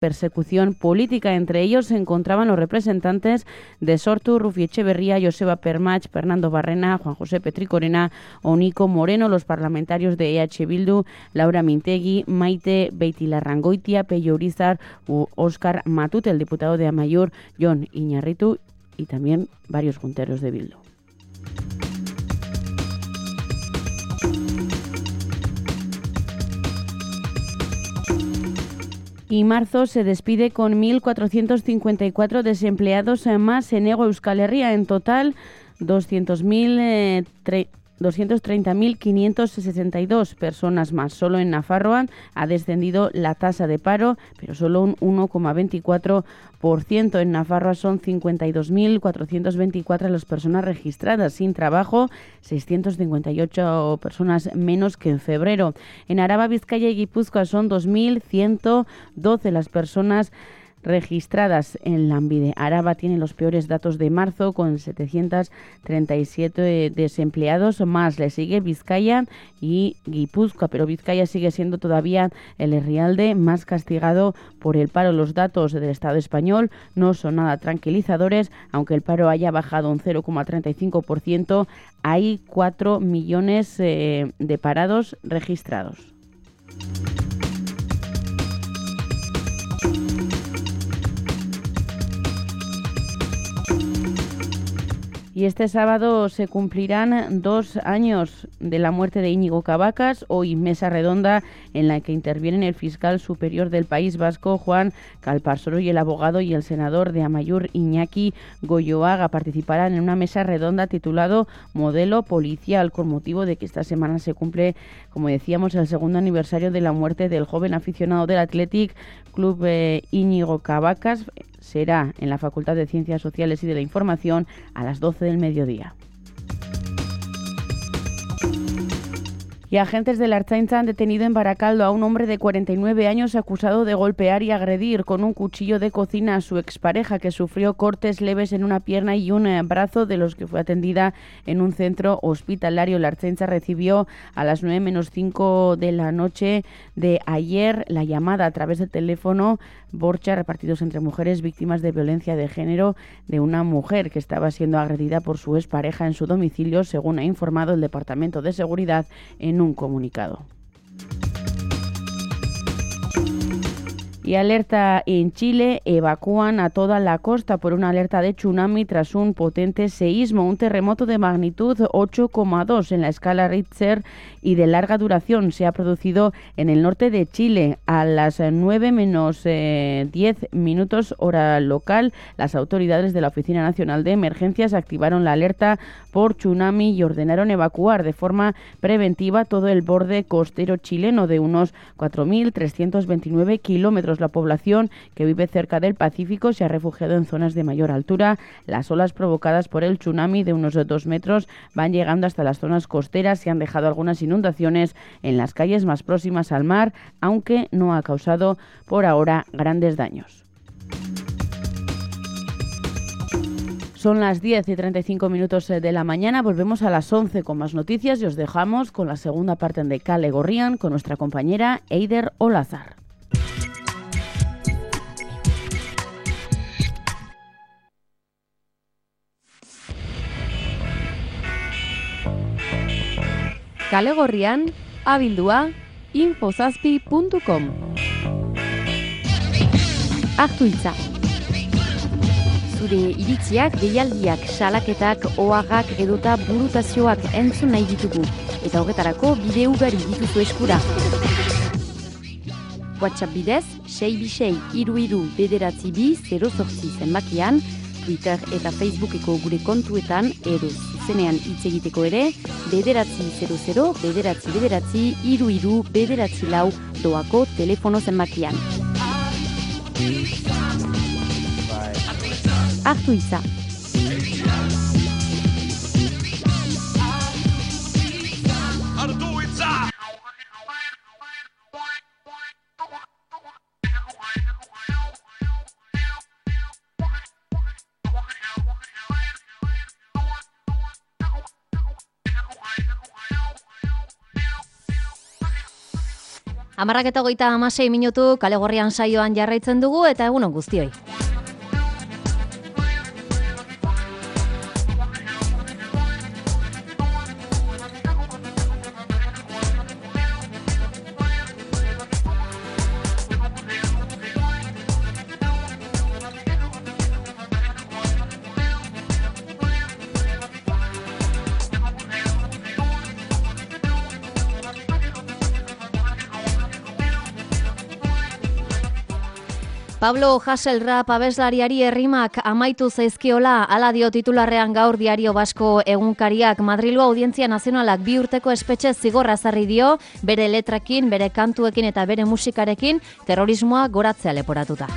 persecución política. Entre ellos se encontraban los representantes de Sortu, Rufi Etxeberria, Joseba Permach, Fernando Barrena, Juan José Petricorena o Nico Moreno, los parlamentarios de EH Bildu, Laura Mintegui, Maite Beitilarrangoitia, Pello Urizar u Óscar Matute, el diputado de Amaiur, Jon Iñarritu, y también varios junteros de Bildu. Y marzo se despide con 1.454 desempleados más en Hego Euskal Herria. En total, 230.562 personas más. Solo en Nafarroa ha descendido la tasa de paro, pero solo un 1,24%. En Nafarroa son 52.424 las personas registradas sin trabajo, 658 personas menos que en febrero. En Araba, Vizcaya y Guipúzcoa son 2.112 las personas registradas en Lanbide. Araba tiene los peores datos de marzo con 737 desempleados más. Le sigue Vizcaya y Guipúzcoa, pero Vizcaya sigue siendo todavía el herrialde más castigado por el paro. Los datos del Estado español no son nada tranquilizadores. Aunque el paro haya bajado un 0,35%, hay 4 millones de parados registrados. Y este sábado se cumplirán 2 años de la muerte de Íñigo Cabacas. Hoy mesa redonda en la que intervienen el fiscal superior del País Vasco, Juan Calparsoro, y el abogado y el senador de Amaiur, Iñaki Goyoaga. Participarán en una mesa redonda titulado Modelo Policial, con motivo de que esta semana se cumple, como decíamos, el segundo aniversario de la muerte del joven aficionado del Athletic Club Íñigo Cabacas. Será en la Facultad de Ciencias Sociales y de la Información a las 12 del mediodía. Y agentes de la Ertzaintza han detenido en Barakaldo a un hombre de 49 años acusado de golpear y agredir con un cuchillo de cocina a su expareja, que sufrió cortes leves en una pierna y un brazo, de los que fue atendida en un centro hospitalario. La Ertzaintza recibió a las 9:05 de la noche de ayer la llamada a través del teléfono Borcha, repartidos entre mujeres, víctimas de violencia de género, de una mujer que estaba siendo agredida por su expareja en su domicilio, según ha informado el Departamento de Seguridad en un comunicado. Y alerta en Chile: evacúan a toda la costa por una alerta de tsunami tras un potente seísmo. Un terremoto de magnitud 8,2 en la escala Richter y de larga duración se ha producido en el norte de Chile a las 9 menos 10 minutos hora local. Las autoridades de la Oficina Nacional de Emergencias activaron la alerta por tsunami y ordenaron evacuar de forma preventiva todo el borde costero chileno de unos 4.329 kilómetros. La población que vive cerca del Pacífico se ha refugiado en zonas de mayor altura. Las olas provocadas por el tsunami de unos 2 metros van llegando hasta las zonas costeras y han dejado algunas inundaciones en las calles más próximas al mar, aunque no ha causado por ahora grandes daños. Son las 10:35 de la mañana. Volvemos a las 11 con más noticias y os dejamos con la segunda parte de Kale Gorrian con nuestra compañera Eider Olazar. Kale Gorrian, abildua, infozazpi.com. Hartu hitza. Zure iritziak, deialdiak, salaketak, oharrak edota burutazioak entzun nahi ditugu. Eta horretarako bide ugari dituzu eskura. WhatsApp bidez, 626-33-908 zenbakian, Twitter eta Facebookeko gure kontuetan edo zuzenean hitz egiteko ere, 900-933-33-934 doako telefono zenbakian. Hartu hitza. 11:36 Kale Gorrian saioan jarraitzen dugu eta egunon guztioi. Pablo Hasselrap abeslariari errimak amaitu zaizkiola, hala dio titularrean gaur Diario Basko egunkariak. Madrilgo Audientzia Nazionalak 2 urteko espetxe zigorra ezarri dio, bere letrakin, bere kantuekin eta bere musikarekin terrorismoa goratzea leporatuta.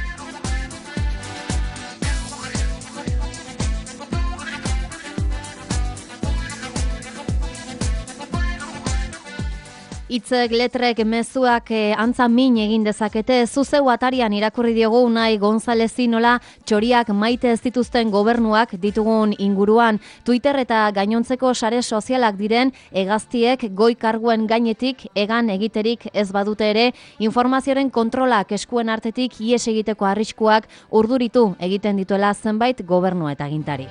Hitzek, letrek, mezuak antza min egin dezakete. Zuzeu atarian irakurri diogu Unai Gonzalezi nola txoriak maite ez dituzten gobernuak ditugun inguruan. Twitter eta gainontzeko sare sozialak diren hegaztiek goi karguen gainetik egan egiterik ez badute ere, informazioaren kontrolak eskuen artetik ihes egiteko arriskuak urduritu egiten dituela zenbait gobernu eta agintari.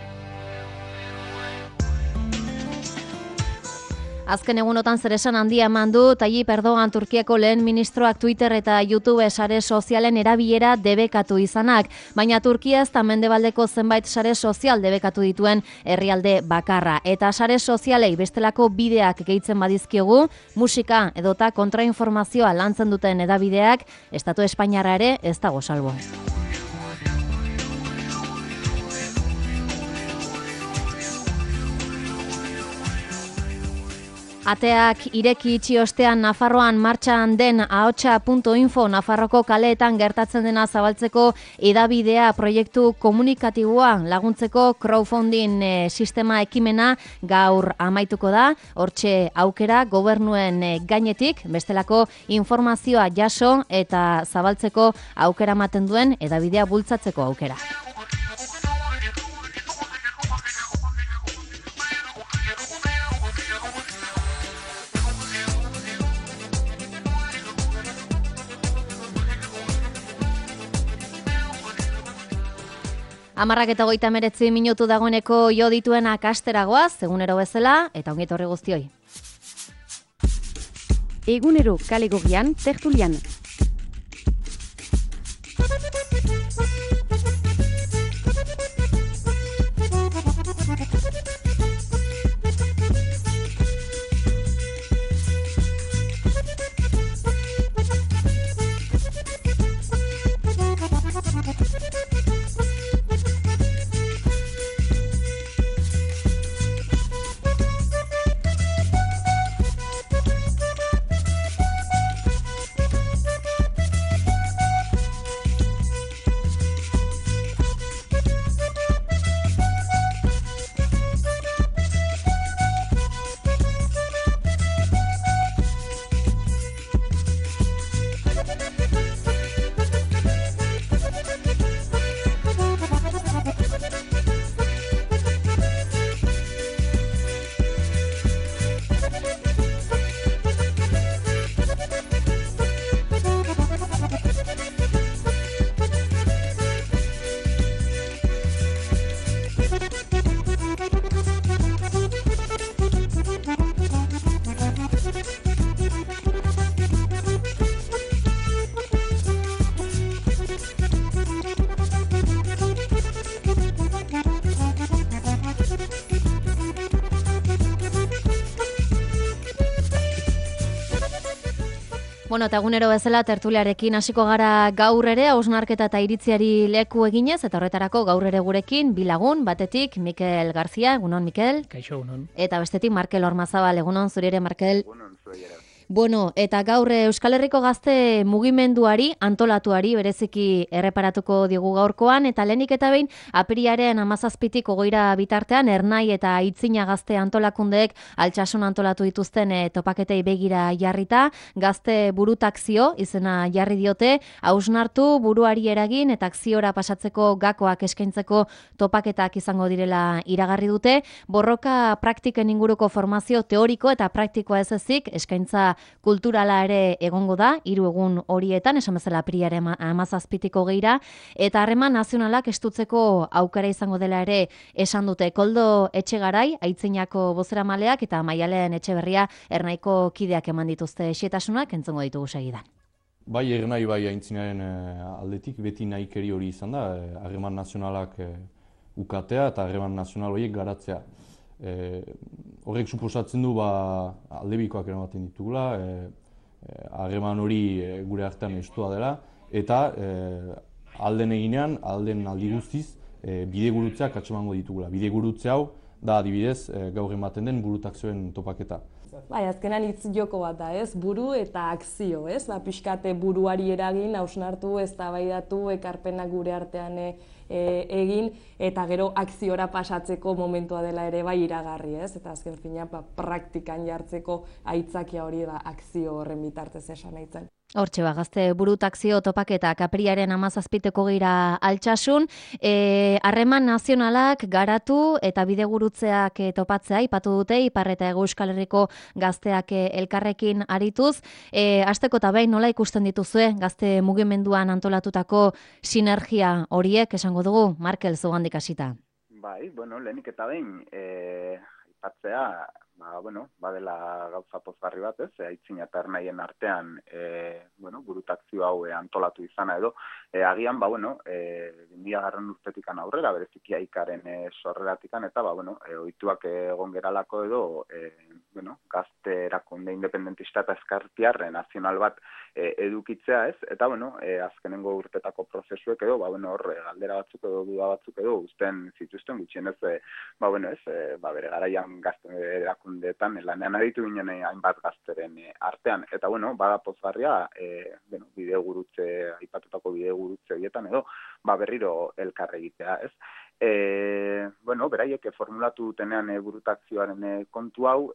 Azken egunotan zeresan handia eman du Tayyip Erdogan Turkiako lehen ministroak Twitter eta YouTube sare sozialen erabilera debekatu izanak, baina Turkia ez da mendebaldeko zenbait sare sozial debekatu dituen herrialde bakarra. Eta sare sozialei bestelako bideak gehitzen badizkiogu, musika edota kontrainformazioa lantzen duten edabideak, Estatu Espainiarra ere ez dago salbo. Ateak ireki itxi ostean Nafarroan martxan den ahotsa.info Nafarroko kaleetan gertatzen dena zabaltzeko edabidea proiektu komunikatiboa laguntzeko crowdfunding sistema ekimena gaur amaituko da. Hortxe aukera gobernuen gainetik bestelako informazioa jaso eta zabaltzeko aukera ematen duen edabidea bultzatzeko aukera. Amarrak eta 39 dagoeneko jo dituenak asteragoaz, egunero bezala, eta ongit horri guztioi. Egunero Kale Gorrian tertulian. Bueno, eta egunero bezala tertuliarekin hasiko gara gaur ere, hausnarketa eta iritziari leku eginez, eta horretarako gaur ere gurekin bi lagun, batetik Mikel Garzia, egunon Mikel. Kaixo, egunon. Eta bestetik Markel Ormazabal, egunon zuri ere Markel. Egunon zuri ere. Bueno, eta gaur Euskal Herriko gazte mugimenduari, antolatuari, bereziki erreparatuko digu gaurkoan, eta lehenik eta behin, apiriaren 17tik 20 bitartean, Ernai eta Itzina gazte antolakundeek Altsasun antolatu dituzten topaketei begira jarrita, gazte burutakzio izena jarri diote, hausnartu buruari eragin eta akziora pasatzeko gakoak eskaintzeko topaketak izango direla iragarri dute, borroka praktiken inguruko formazio teoriko eta praktikoa ez ezik, eskaintza kulturala ere egongo da, 3 egun horietan, esan bezala apirilaren 17 geira, eta harreman nazionalak estutzeko aukera izango dela ere esan dute. Koldo Etxegarai, Aitzinako bozeramaleak eta Maialen Etxeberria Ernaiko kideak eman dituzte xetasunak, entzongo ditugu segidan. Bai, Ernai bai Aintzinaren aldetik beti nahikeri hori izan da, harreman nazionalak ukatea eta harreman nazional horiek garatzea. Horrek suposatzen du aldebikoak eramaten ditugula, harreman hori gure artean estua dela, eta alden eginean, alden aldi guztiz, bidegurutzeak atxemango ditugula. Bidegurutze hau da adibidez gaur ematen den burutakzioen topaketa. Bai, azkenan hitz joko bat da, ez? Buru eta akzio, ez? Pixkate buruari eragin, hausnartu, eztabaidatu, ekarpenak gure artean egin, eta gero akziora pasatzeko momentua dela ere bai iragarri, ez? Eta azken fina, praktikan jartzeko aitzakia hori akzio horren bitartez esan nahi zen. Hortxe gazte burutakzio topaketak apirilaren 17 geira Altsasun, harreman nazionalak garatu eta bidegurutzeak topatzea aipatu dute Ipar eta Hego Euskal Herriko gazteak elkarrekin arituz. Hasteko eta behin nola ikusten dituzue gazte mugimenduan antolatutako sinergia horiek esango dugu, Markel zugandik hasita. Bai, lehenik eta behin aipatzea, badela gauza pozgarri bat, ez? Aitzina eta Ernaien artean, burutakzio hau antolatu izana edo, agian, 2000 urtetikan aurrera, bereziki Aikaren sorreratikan, eta, ohituak egon geralako edo, gazte erakunde independentista eta ezkertiar nazional bat edukitzea, ez? Eta, azkenengo urtetako prozesuek edo, hor, galdera batzuk edo, duda batzuk edo, uzten zituzten gutxienez, bere garaian gazte erakundeetan lanean aritu ginen hainbat gazteren artean. Eta, bada pozgarria, bidegurutze, aipatutako bidegurutze horietan edo, berriro elkar egitea, ez? Beraiek formulatu dutenean burutakzioaren kontu hau,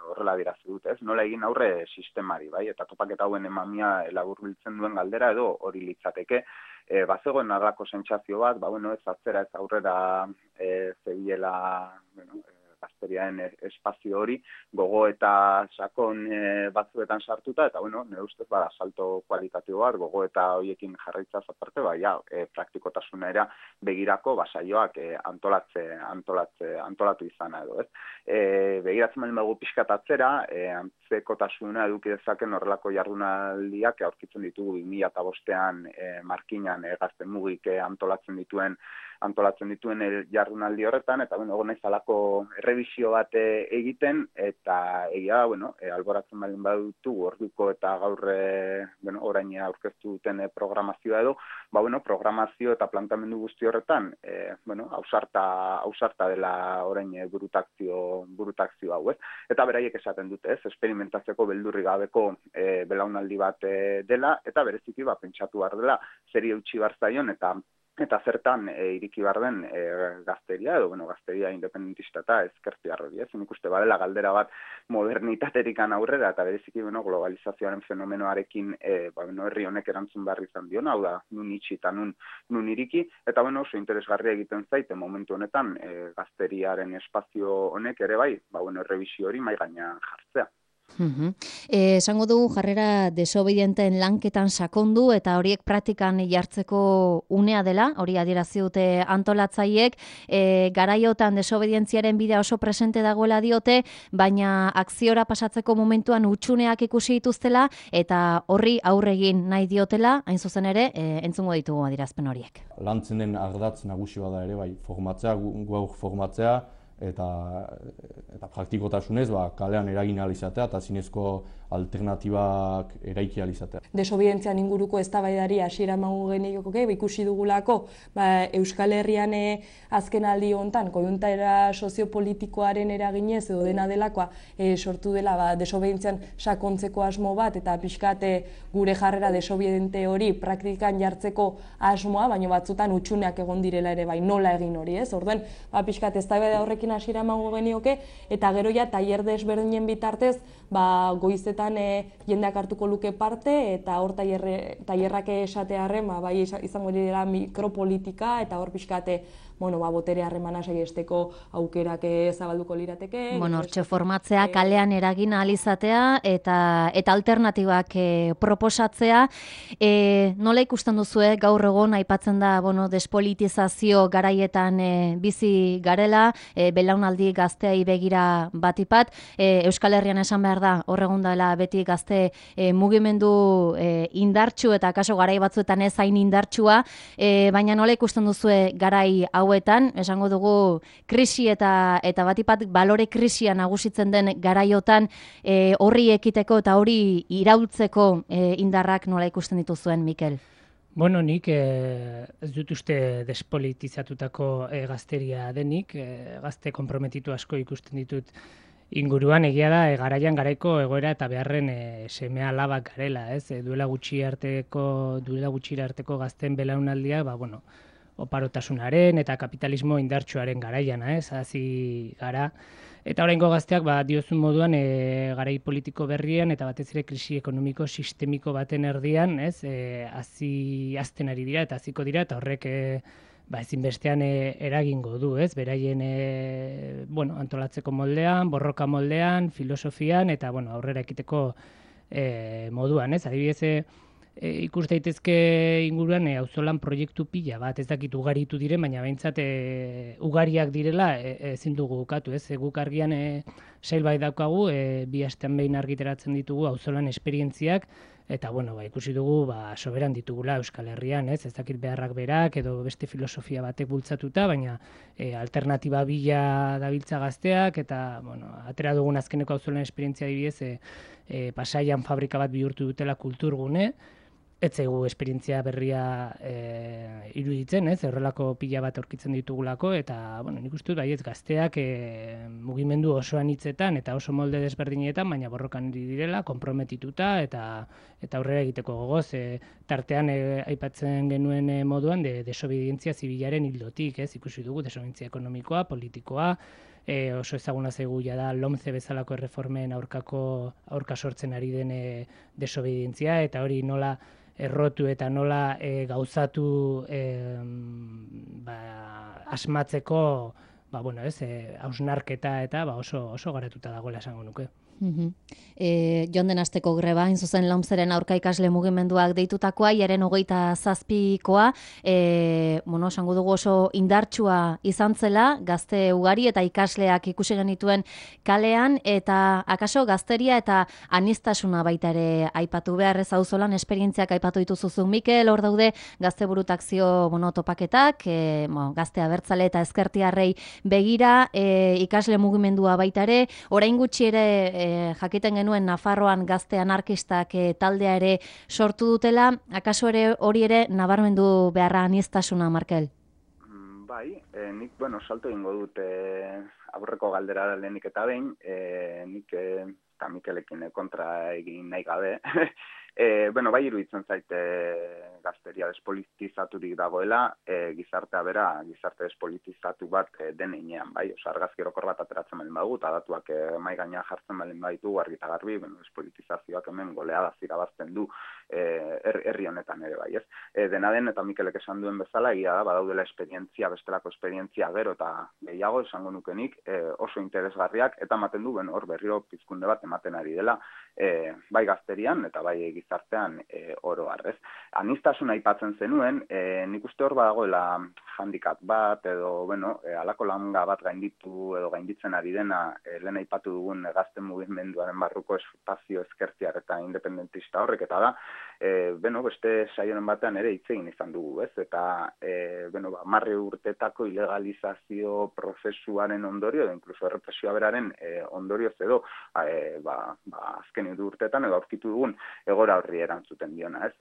horrela dirazu dut, ez? Nola egin aurre sistemari, bai? Eta topaketa hauen emamia laburbiltzen duen galdera edo hori litzateke. Bazegoen arlako sentsazio bat, ez atzera ez aurrera zebilela, gazteriaen espazio hori, gogo eta sakon batzuetan sartuta, eta, nire ustez, salto kualitatibo bat, gogo eta horiekin jarraitzaz aparte, praktikotasuna era begirako saioak antolatu izana edo, ez? Begiratzen baldin badugu pixkat atzera, antzekotasuna eduki dezaken horrelako jardunaldiak aurkitzen ditugu 2005ean Markinan gazte mugik antolatzen dituen jardunaldi horretan, eta naiz halako errebisio bat egiten, eta egia, alboratzen baldin badutu orduko eta gaur orain aurkeztu duten programazioa edo, programazio eta plantamendu guzti horretan, ausarta dela orain burutakzio hau, ez? Eta beraiek esaten dute, ez? Esperimentatzeko beldurri gabeko belaunaldi bat dela, eta bereziki pentsatu behar dela zeri eutxi behar zaion, eta zertan iriki behar den gazteria, edo gazteria independentista eta ezkertiar hori, ez? Nik uste badela galdera bat modernitaterikan aurrera, eta bereziki globalizazioaren fenomenoarekin herri honek erantzun behar izan dion, hau da, nun itxi eta nun iriki, eta oso interesgarria egiten zaite momentu honetan gazteriaren espazio honek ere bai, errebisio hori mai gainean jartzea. Esango dugu jarrera desobedienteen lanketan sakondu eta horiek praktikan jartzeko unea dela, hori adierazi dute antolatzaileek, garaiotan desobedientziaren bidea oso presente dagoela diote, baina akziora pasatzeko momentuan hutsuneak ikusi dituztela eta horri aurre egin nahi diotela, hain zuzen ere, entzungo ditugu adierazpen horiek. Lantzen den ardatz nagusi bada ere, bai, formatzea, eta praktikotasunez kalean eragin ahal izatea eta zinezko alternatibak eraiki ahal izatea. Desobedientzian inguruko eztabaidari hasiera emango genioke, ikusi dugulako Euskal Herrian azkenaldi hontan koiuntura soziopolitikoaren eraginez edo dena delakoa sortu dela desobedientzian sakontzeko asmo bat eta pixkat gure jarrera desobediente hori praktikan jartzeko asmoa, baina batzutan hutsuneak egon direla ere bai, nola egin hori, ez? Orduan, pixkat eztabaida horrekin hasiera emango genioke eta gero ja tailer desberdinen bitartez goizetan jendeak hartuko luke parte eta hor tailerrak esatearren bai izango dira mikropolitika eta hor pixkate botere harremana saihesteko aukerak zabalduko lirateke. Hortxe formatzea, kalean eragin ahal izatea eta alternatibak proposatzea. Nola ikusten duzue gaur egon aipatzen da despolitizazio garaietan bizi garela, belaunaldi gazteei begira batipat, Euskal Herrian esan behar da, hor egon dela beti gazte mugimendu indartsu eta kaso garai batzuetan ez hain indartsua, baina nola ikusten duzue garai hauetan, esango dugu krisi eta batipat balore krisia nagusitzen den garaiotan horri ekiteko eta hori iraultzeko indarrak nola ikusten dituzuen, Mikel? Nik ez dut uste despolitizatutako gazteria denik, gazte konprometitu asko ikusten ditut inguruan, egia da garaian garaiko egoera eta beharren semea alabak garela, ez? Duela gutxira arteko gazten belaunaldia, oparotasunaren eta kapitalismo indartsuaren garaian, hazi gara. Eta oraingo gazteak diozun moduan garai politiko berrian eta batez ere krisi ekonomiko sistemiko baten erdian, azten ari dira eta hasiko dira, eta horrek ezinbestean eragingo du, beraien antolatzeko moldean, borroka moldean, filosofian eta aurrera ekiteko moduan, adibidez, ikus daitezke inguruan auzolan proiektu pila bat, ez dakit ugaritu diren, baina behintzat ugariak direla ezin dugu ukatu, guk argian sail bai daukagu, 2 astean behin argiteratzen ditugu auzolan esperientziak, eta ikusi dugu soberan ditugula Euskal Herrian, ez dakit beharrak berak edo beste filosofia batek bultzatuta, baina alternatiba bila dabiltza gazteak, eta atera dugun azkeneko auzolan esperientzia adibidez, Pasaian fabrika bat bihurtu dutela kulturgune, ez zaigu esperientzia berria iruditzen, horrelako pila bat aurkitzen ditugulako, eta nik uste dut baietz gazteak mugimendu osoan hitzetan eta oso molde desberdinetan, baina borrokan direla, konprometituta eta aurrera egiteko gogoz, tartean aipatzen genuen moduan desobedientzia zibilaren hildotik, ikusi dugu desobedientzia ekonomikoa, politikoa, oso ezaguna zaigu da LOMCE bezalako erreformen aurka sortzen ari den desobedientzia, eta hori nola errotu eta nola gauzatu asmatzeko hausnarketa eta oso garatuta dagoela esango nuke. Joan den asteko greba, hain zuzen LOMCEren aurka ikasle mugimenduak deitutakoa, jaren 27koa, esango dugu oso indartsua izan zela, gazte ugari eta ikasleak ikusi genituen kalean, eta akaso gazteria eta aniztasuna baita ere aipatu behar, ez auzolan esperientziak aipatu dituzuzu, Mikel, hor daude gazte burutakzio topaketak, gazte abertzale eta ezkertiarrei begira, ikasle mugimendua baita ere, orain gutxi ere jakiten genuen Nafarroan gazte anarkistak taldea ere sortu dutela, akaso ere hori ere nabarmendu beharra aniztasuna, Markel? Bai, nik, salto egingo dut aurreko galdera lehenik eta behin, nik eta Mikelekin kontra egin nahi gabe, bai iruditzen zaite gazteria despolitizaturik dagoela, gizartea bera, gizarte despolitizatu bat denean, bai, argazki orokor bat ateratzen baldin badugu, eta datuak mahai gainean jartzen baldin baditu, argi eta garbi, despolitizazioak hemen goleada zirabazten du herri honetan ere, bai, ez? Dena den, eta Mikelek esan duen bezala, egia da, badaudela esperientzia, bestelako esperientzia gero eta gehiago, esango nukenik, oso interesgarriak, eta ematen du, hor berriro pizkunde bat ematen ari dela, bai gazterian eta bai gizartean oro harrez. Anistasuna aipatzen zenuen, nik uste hor badagoela handicap bat edo, alako langa bat gainditu edo gainditzen ari dena, lehen aipatu dugun gazten mugimenduaren barruko espazio ezkertiar eta independentista horrek, eta da, beste saioren batean ere hitz egin izan dugu, ez? Eta, 10 urtetako ilegalizazio prozesuaren ondorio, edo inkluso errepresioa beraren ondorioz edo, azken urteetan edo aurkitu dugun egora horri erantzuten diona, ez?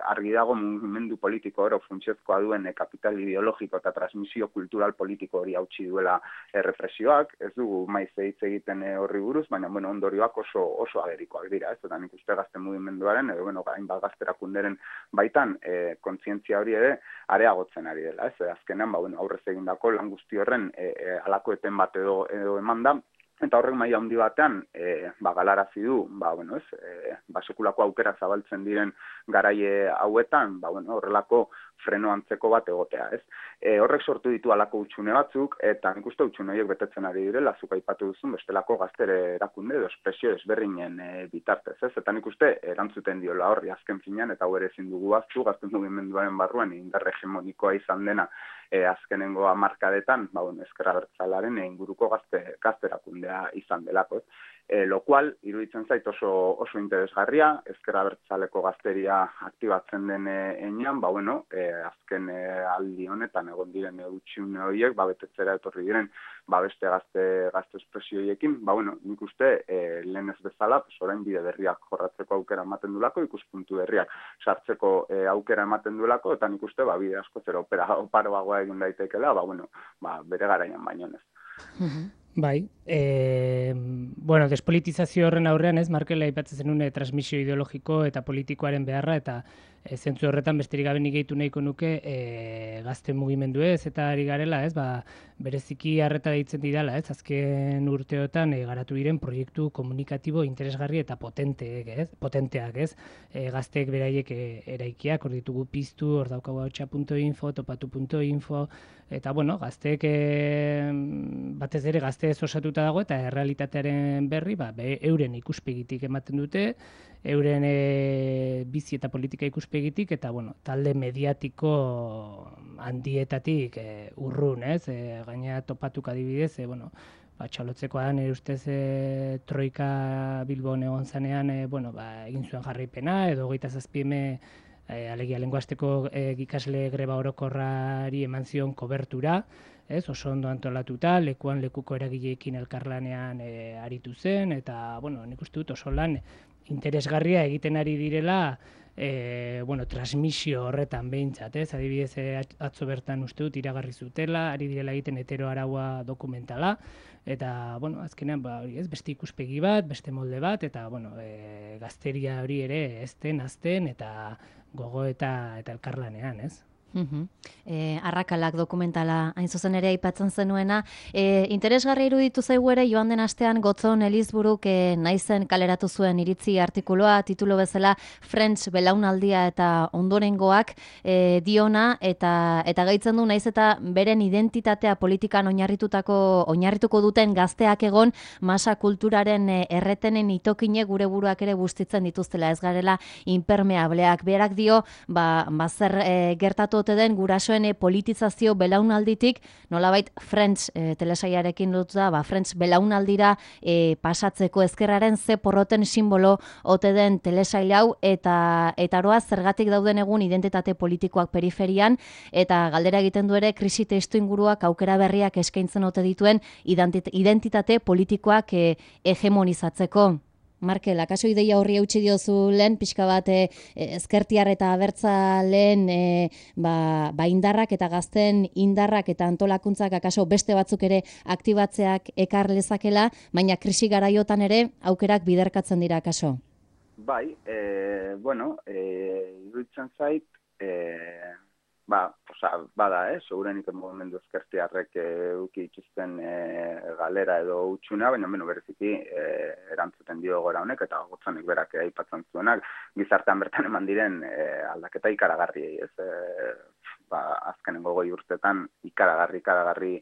Argi dago mugimendu politiko oro funtsiozkoa duen kapital ideologiko eta transmisio kultural politiko hori hautsi duela errepresioak, ez dugu maiz hitz egiten horri buruz, baina ondorioak oso agerikoak dira, ez? Eta nik uste gazte mugimenduaren, edo hainbat gazterakunderen baitan kontzientzia hori ere areagotzen ari dela, ez? Azkenean, aurrez egindako lan guzti horren halako eten bat edo eman da, Eta horrek maila handi batean, galarazi du, sekulako aukera zabaltzen diren garaie hauetan, horrelako freno antzeko bat egotea, ez? Horrek sortu ditu halako hutsune batzuk, eta nik uste hutsune horiek betetzen ari direla, zuk aipatu duzun bestelako gaztere erakunde edo espresio ezberdinen bitartez, ez? Eta nik uste erantzuten diola horri azken finean, eta hau ere ezin dugu ahaztu, gazte mugimenduaren barruan indar hegemonikoa izan dena azkenengo hamarkadetan, ezker abertzalearen inguruko gazte erakundea izan delako, lo cual, iruditzen zait oso interesgarria, ezker abertzaleko gazteria aktibatzen den enean, azken aldi honetan egon diren hutsune horiek, betetzera etorri diren, beste gazte espresio horiekin, nik uste lehen ez bezala, orain bide berriak jorratzeko aukera ematen duelako, ikuspuntu berriak sartzeko aukera ematen duelako, eta nik uste bide asko zera oparoagoa egin daitekeela, bere garaian baino ez. Bai, despolitizazio horren aurrean Markel aipatzen zenuen transmisio ideologiko eta politikoaren beharra, eta zentzu horretan besterik gabe nik gehitu nahiko nuke gazte mugimendu eta ari garela, bereziki harreta deitzen didala, azken urteotan garatu diren proiektu komunikatibo interesgarri eta potenteak, gazteek beraiek eraikiak, hor ditugu piztu, hor daukagu hautsa.info, topatu.info, eta gazteek batez ere gazte osatuta dago eta errealitatearen berri euren ikuspegitik ematen dute, euren bizi eta politika ikuspegitik, eta talde mediatiko handietatik urrun, gaina topatuk adibidez, txalotzekoan nire ustez Troika Bilbon egon zanean egin zuen jarraipena, edo 27 alegia lenguasteko ikasle greba orokorrari eman zion kobertura, oso ondo antolatuta, lekuan lekuko eragileekin elkarlanean aritu zen, eta nik uste dut oso lan interesgarria egiten ari direla transmisio horretan behintzat, adibidez atzo bertan uste dut iragarri zutela, ari direla egiten heteroaraua dokumentala, eta azkenean beste ikuspegi bat, beste molde bat, eta gazteria hori ere azten eta gogo eta elkarlanean, Arrakalak dokumentala hain zuzen ere aipatzen zenuena. Interesgarri iruditu zaigu ere joan den astean Gotzon Elizburuk naizen kaleratu zuen iritzi artikuloa, titulo bezala French belaunaldia eta ondorengoak diona, eta gaitzen du naiz eta beren identitatea politikan oinarrituko duten gazteak egon, masa kulturaren erretenen itokine gure buruak ere bustitzen dituztela, ez garela impermeableak. Berak dio, zer gertatu ote den gurasoen politizazio belaunalditik, nolabait French telesailarekin lotuta, French belaunaldira pasatzeko ezkerraren ze porroten simbolo ote den telesail hau, eta aroa zergatik dauden egun identitate politikoak periferian, eta galdera egiten du ere krisi testuinguruak aukera berriak eskaintzen ote dituen identitate politikoak hegemonizatzeko. Markel, akaso ideia horri eutsi diozu lehen, pixka bat ezkertiar eta abertzaleen indarrak eta gazten indarrak eta antolakuntzak akaso beste batzuk ere aktibatzeak ekar lezakela, baina krisi garaiotan ere aukerak biderkatzen dira akaso? Bai, iruditzen zait, segurenik mugimendu ezkertiarrek uki ituzten galera edo utxuna, baina bereziki erantzuten dio gora honek, eta Gotzonek berak aipatzen zuenak, gizartean bertan eman diren aldaketa ikaragarriei, azkenengo 20 urtetan ikaragarri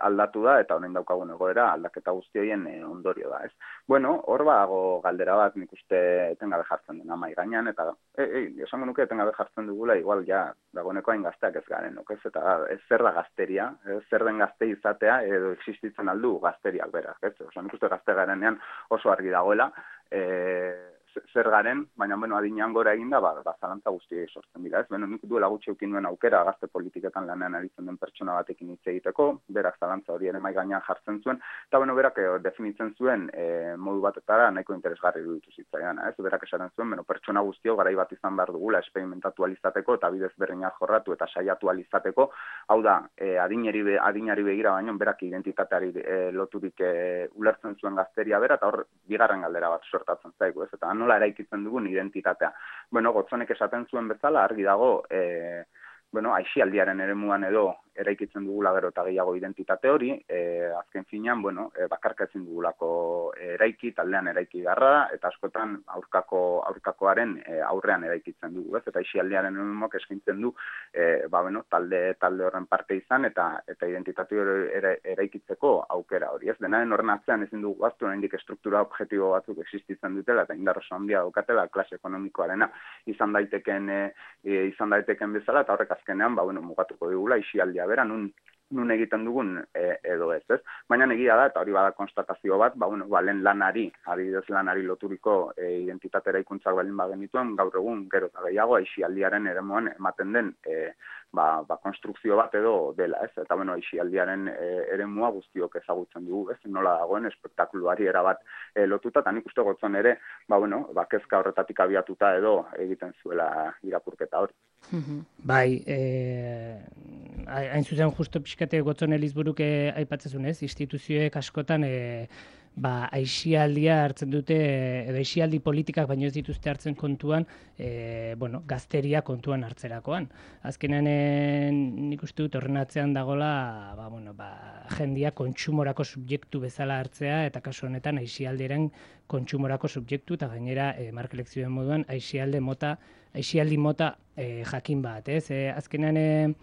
aldatu da, eta honen daukagun egoera aldaketa guzti horien ondorio da, hor dago galdera bat nik uste etengabe jartzen dena mahai gainean, eta esango nuke etengabe jartzen dugula, igual dagoeneko hain gazteak ez garen, eta zer da gazteria, zer den gazte izatea, edo existitzen aldu gazteriak berak, nik uste gazte garenean oso argi dagoela, zer garen, baina adinean gora eginda, zalantza guztiei sortzen dira, nik duela gutxi eukin duen aukera gazte politiketan lanean aritzen den pertsona batekin hitz egiteko, berak zalantza hori ere mahai gainean jartzen zuen, eta berak definitzen zuen modu batetara nahiko interesgarri iruditu zitzaidan, berak esaten zuen, pertsona guztio garai bat izan behar dugula esperimentatu alizateko eta bidez berreinak jorratu eta saiatu alizateko, hau da, adinari begira baino, berak identitateari loturik ulertzen zuen gazteria bera, eta hor bigarren galdera bat sortatzen zaigu, eta nola eraikitzen dugun identitatea. Gotzonek esaten zuen bezala, argi dago, aixialdiaren eremuan edo eraikitzen dugula gero eta gehiago identitate hori, azken finean, bakarka ezin dugulako eraiki, taldean eraiki garra, eta askotan aurkakoaren aurrean eraikitzen dugu, ez? Eta aisialdiaren emok eskaintzen du, talde horren parte izan, eta identitate hori eraikitzeko aukera hori, ez? Denaren horren atzean ezin dugu gaztu, oraindik estruktura objektibo batzuk existitzen dutela, eta indar oso handia daukatela, klase ekonomikoarena izan daiteken bezala, eta horrek azkenean, mugatuko digula aisialdia bera, nun egiten dugun edo ez. Baina egia da, eta hori bada konstatazio bat, lehen lanari, adibidez lanari loturiko identitate eraikuntzak balin bagenituen, gaur egun gero eta gehiago aisialdiaren eremuan ematen den konstrukzio bat edo dela, ez? Eta aisialdiaren eremua guztiok ezagutzen dugu, ez? Nola dagoen espektakuluari erabat lotuta, eta nik uste gotzon ere, kezka horretatik abiatuta edo egiten zuela irakurketa hori. Bai, hain zuzen justo pixkate gotzon Elizburuk aipatzezun, ez? Instituzioek askotan aisialdia hartzen dute, edo aisialdi politikak baino ez dituzte hartzen kontuan, gazteria kontuan hartzerakoan. Azkenean nik uste dut horren atzean dagola, jendia kontsumorako subjektu bezala hartzea, eta kasu honetan aisialdiaren kontsumorako subjektu, eta gainera, Mark Lekzioen moduan, aisialdi mota jakin bat, ez? Azkenean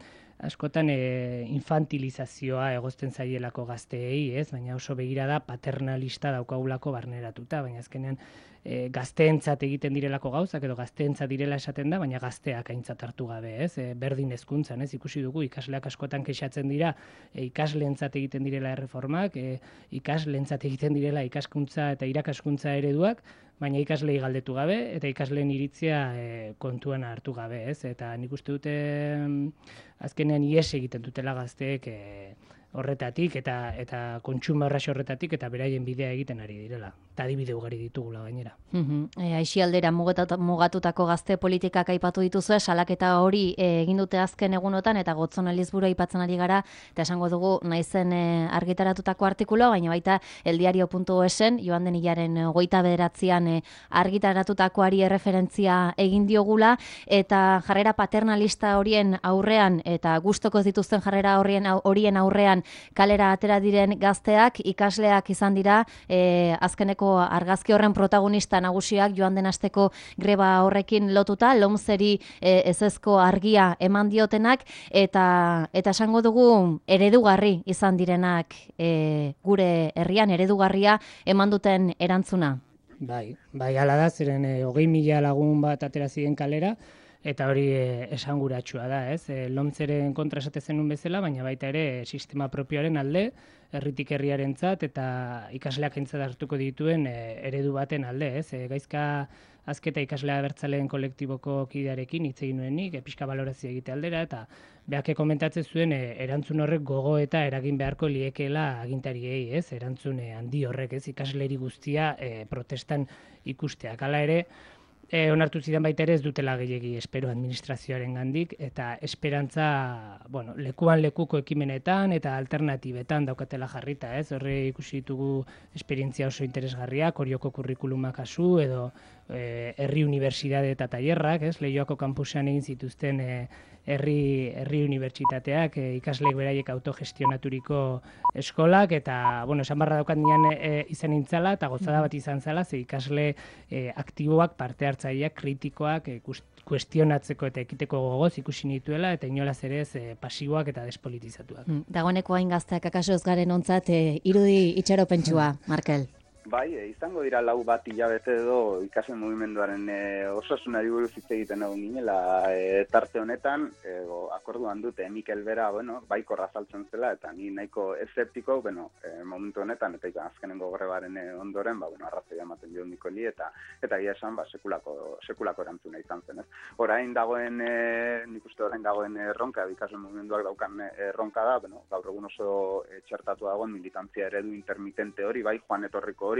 askotan infantilizazioa egozten zaielako gazteei, ez? Baina oso begirada paternalista daukagulako barneratuta, baina azkenean gazteentzat egiten direlako gauzak edo gazteentzat direla esaten da, baina gazteak aintzat hartu gabe, ez? Berdin hezkuntzan, ez? Ikusi dugu ikasleak askotan kexatzen dira ikasleentzat egiten direla erreformak, ikasleentzat egiten direla ikaskuntza eta irakaskuntza ereduak, baina ikaslei galdetu gabe eta ikasleen iritzia kontuan hartu gabe, ez? Eta nik uste dute azkenean ihes egiten dutela gazteek horretatik eta kontsumo erraxo horretatik eta beraien bidea egiten ari direla. Eta adibide ugari ditugula gainera. Aisialdera mugatutako gazte politikak aipatu dituzue, salaketa hori egin dute azken egunotan eta Gotzon Elizburu aipatzen ari gara, eta esango dugu naizen argitaratutako artikuloa, baina baita eldiario.esen, joan den hilaren 29an argitaratutakoari erreferentzia egin diogula, eta jarrera paternalista horien aurrean, eta gustoko ez dituzten jarrera horien aurrean kalera atera diren gazteak, ikasleak izan dira, azkeneko argazki horren protagonista nagusiak joan den asteko greba horrekin lotuta, lomzeri ezezko argia eman diotenak, eta esango dugu eredugarri izan direnak gure herrian, eredugarria eman duten erantzuna. Bai, hala da, zeren 20.000 lagun bat atera ziren kalera, eta hori esanguratsua da, ez? Lomzeren kontra esate zenun bezala, baina baita ere sistema propioaren alde, herritik herriarentzat eta ikasleak aintzat hartuko dituen eredu baten alde, ez? Gaizka Azketa ikaslea abertzaleen kolektiboko kidearekin hitz egin nuenik, pixka balorazio egite aldera, eta beak komentatzen zuen erantzun horrek gogo eta eragin beharko liekeela agintariei, ez? Erantzun handi horrek, ez? Ikasleri guztia protestan ikusteak. Hala ere, onartu zidan baita ere ez dutela gehiegi espero administrazioaren gandik, eta esperantza, lekuan lekuko ekimenetan eta alternatibetan daukatela jarrita, ez? Horre ikusi ditugu esperientzia oso interesgarriak, Orioko kurrikuluma kasu, edo herri unibertsitate eta tailerrak, ez? Leioako kampusean egin zituzten herri unibertsitateak, ikasleek beraiek autogestionaturiko eskolak, eta, esan barra daukat nian izan nintzala, eta gozada bat izan zala, ze ikasle aktiboak, parte hartzaileak, kritikoak, kuestionatzeko eta ekiteko gogoz ikusi nituela, eta inolaz ere ez pasiboak eta despolitizatuak. Dagoeneko hain gazteak akaso ez garen ontzat irudi itxaropentsua, Markel. Bai, izango dira 4 bat hilabete edo ikasle mugimenduaren osasunari buruz hitz egiten egon ginela tarte honetan, akorduan dute Mikel bera, baiko razaltzen zela, eta ni nahiko eszeptiko, momentu honetan, eta azkenengo grebaren ondoren, arrazoia ematen dio Mikoli, eta egia esan, sekulako erantzuna izan zen, ez? Orain dagoen, nik uste orain dagoen erronka, ikasle mugimenduak daukan erronka da, gaur egun oso txertatu dagoen militantzia eredu intermitente hori, bai, joan etorriko hori,